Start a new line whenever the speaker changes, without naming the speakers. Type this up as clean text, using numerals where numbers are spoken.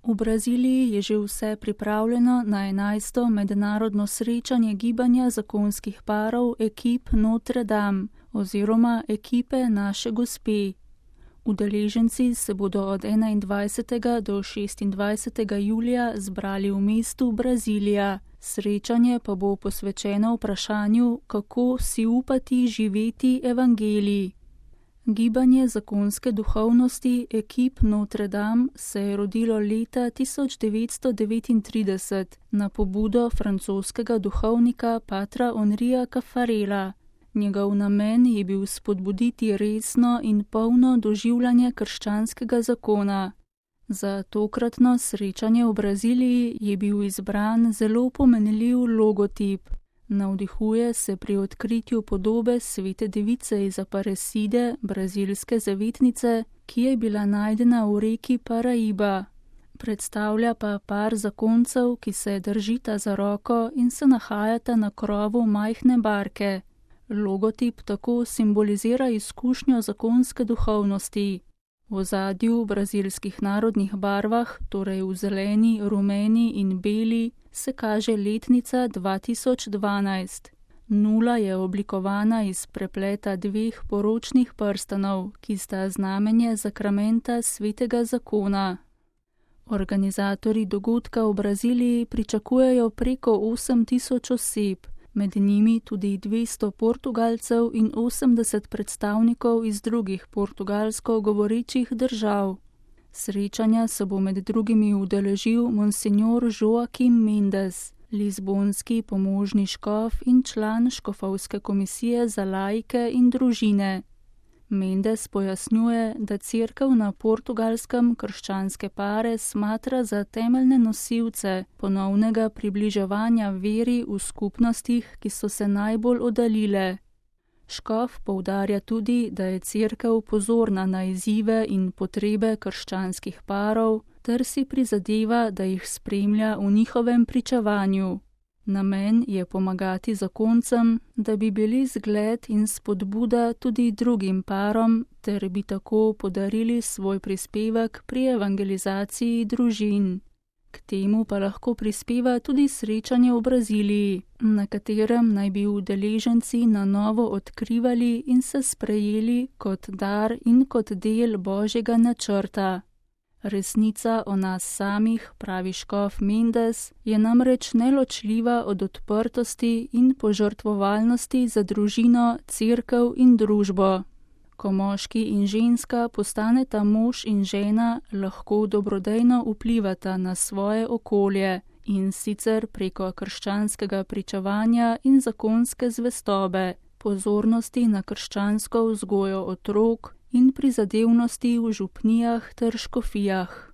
V Braziliji je že vse pripravljeno na 11. mednarodno srečanje gibanja zakonskih parov ekip Notre Dame oziroma ekipe Naše Gospe. Udeleženci se bodo od 21. do 26. julija zbrali v mestu Brazilija. Srečanje pa bo posvečeno vprašanju, kako si upati živeti evangelij. Gibanje zakonske duhovnosti ekip Notre Dame se je rodilo leta 1939 na pobudo francoskega duhovnika patra Henrija Caffarela. Njegov namen je bil spodbuditi resno in polno doživljanje krščanskega zakona. Za tokratno srečanje v Braziliji je bil izbran zelo pomenljiv logotip. Navdihuje se pri odkritju podobe svete device iz Aparecide, brazilske zavetnice, ki je bila najdena v reki Paraiba. Predstavlja pa par zakoncev, ki se držita za roko in se nahajata na krovu majhne barke. Logotip tako simbolizira izkušnjo zakonske duhovnosti. V ozadju v brazilskih narodnih barvah, torej v zeleni, rumeni in beli, se kaže letnica 2012. Nula je oblikovana iz prepleta dveh poročnih prstanov, ki sta znamenje zakramenta svetega zakona. Organizatorji dogodka v Braziliji pričakujejo preko 8000 oseb, med njimi tudi 200 Portugalcev in 80 predstavnikov iz drugih portugalsko govorečih držav. Srečanja se bo med drugimi udeležil monsignor Joaquim Mendes, lizbonski pomožni škof in član škofovske komisije za laike in družine. Mendes pojasnjuje, da cerkev na Portugalskem krščanske pare smatra za temeljne nosilce ponovnega približevanja veri v skupnostih, ki so se najbolj oddaljile. Škof poudarja tudi, da je cerkev pozorna na izzive in potrebe krščanskih parov ter si prizadeva, da jih spremlja v njihovem pričevanju. Namen je pomagati zakoncem, da bi bili zgled in spodbuda tudi drugim parom, ter bi tako podarili svoj prispevek pri evangelizaciji družin. K temu pa lahko prispeva tudi srečanje v Braziliji, na katerem naj bi udeleženci na novo odkrivali in se sprejeli kot dar in kot del Božjega načrta. Resnica o nas samih, pravi škof Mendes, je namreč neločljiva od odprtosti in požrtvovalnosti za družino, cerkev in družbo. Ko moški in ženska postaneta mož in žena, lahko dobrodejno vplivata na svoje okolje, in sicer preko krščanskega pričevanja in zakonske zvestobe, pozornosti na krščansko vzgojo otrok in prizadevnosti v župnijah ter škofijah.